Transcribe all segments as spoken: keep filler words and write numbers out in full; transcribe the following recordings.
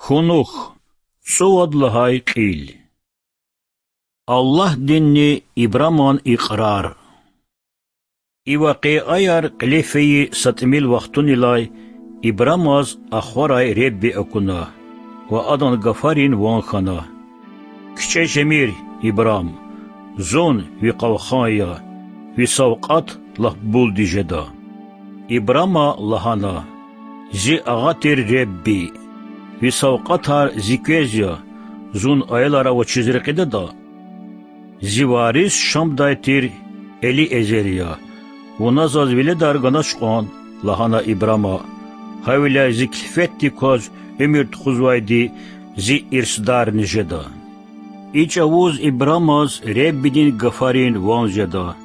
Кунух. ЦӀувад лагьай кьил. Аллагьдинни Ибраман икьрар. И вакъиаяр кьиле фейи са тӀимил вахтунилай Ибрамаз ахварай Худа акуна ва адан гафарин ван хьана: КичӀе жемир, Ибрам, Зун ви къалхан я, ви савкьват лап булди жеда. Ибрама лагьана: Зи агъа тир Худа, ви савкьватар зи квез я, Зун аялар авачиз рекьидада? Зи варис Шамдай тир Элиэзер я, вуна Заз веледар ганач кьван,– лагьана Ибрама,– гьавиляй зи килфетдик кваз уьмуьр тухузвайди зи ирсдарни жеда. И чӀавуз Ибрамаз Худадин гафарин ван жеда: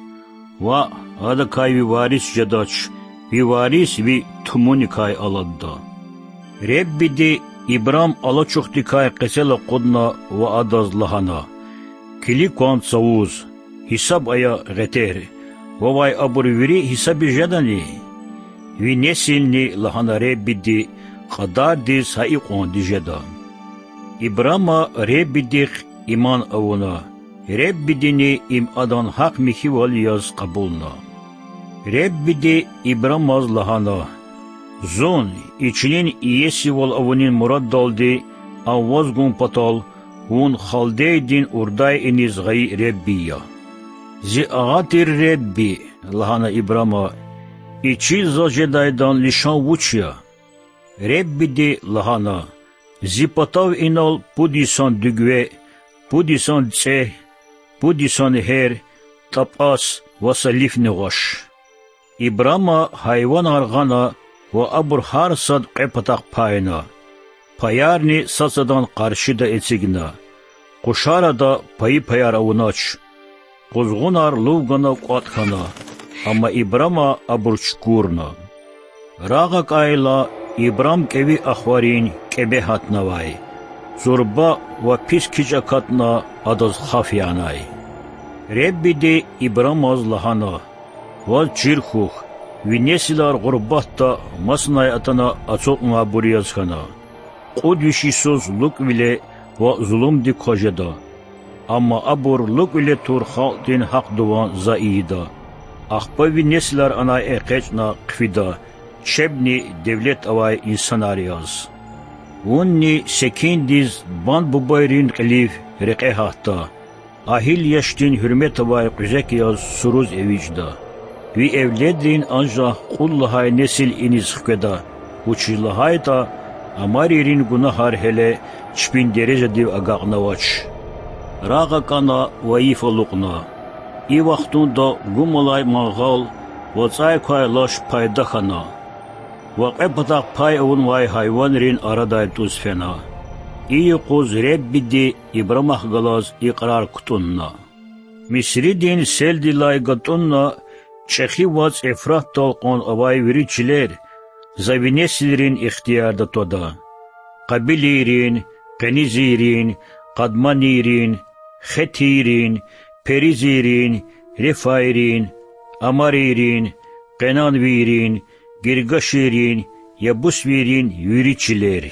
Ваъ, адакай ви варис жедач, ви варис ви тумуникай аладда. Худади Ибрам алачухдикай къецел акъудна ва адаз лагьана: Килиг кван цавуз, гьисаб ая гъетер, вавай абур вири гьисабиз жедани? Ви несилни,– лагьана Худади,– кьадардиз гьа икьванди жеда. Ибрама Худадихъ иман авуна, Худадини им адан гьахъ-михьивал яз кьабулна. Худади Ибрамаз лагьана: Зун и чилин иесивал авунин мураддалди ам ваз гун патал вун халдейрин Урдай иниз гъайи Худа я. Зи агъа тир Худади,– лагьана Ибрама,– и чил заз жедайдан лишан вуч я? Худади лагьана: Зи патав инал пуд йисан дуьгве, пуд йисан цӀегь, пуд йисан гьер, тӀапӀас ва са лифни гъваш. Ибрама гьайванар гъана ва абур гьар сад кьве патахъ пайна. Паярни сад-садан къаршида эцигна. Къушар ада пайи-паяр авунач. Къузгъунар лув гана кӀватӀ хьана, амма Ибрама абур чукурна. Рагъакайла, Ибрам кӀеви ахварин кӀебе гьатнавай. Зурба ва пис кичӀ акатна, адаз хаф янай. Худади Ибрамаз лагьана: Ваз чир хьухь, ви несилар гъурбатда масанай атана ацукьнавайбур яз хьана. Кьуд виш йисуз лукӀвиле ва зулумдик кваз жеда. Амма абур лукӀвиле тур халкьдин гьахъдин ван За ийида. Ахпа ви несилар анай экъечӀна хъфида, чебни девлет авай инсанар яз. Вунни секиндиз бан-бубайрин кьилив рекье гьатда, агьил яшдин гьуьрмет авай кьуьзек яз суруз эвичӀда. Ви эвледрин анжах кьуд лагьай несил иниз хкведа, вучиз лагьайтӀа амарийрин гунагьар гьеле чпин дережадив агакьнавач. Рагъакана ва йиф алукьна. И вахтунда гум алай мангъал ва цӀай квай лаш пайда хьана ва кьве патахъ пай авунвай гьайванрин арадай тӀуз фена. И юкъуз Худади Ибрамахъ галаз икьрар кутӀунна. Мисридин селдилай гатӀунна чӀехи вацӀ Евфратдал кьван авай вири чилер За ви несилрин ихтиярда твада: къабилийрин, къенизийрин, къадманийрин, хетийрин, перизийрин, рефайрин, амарийрин, къенанвийрин, гиргашийрин, ябусвийрин вири чилер.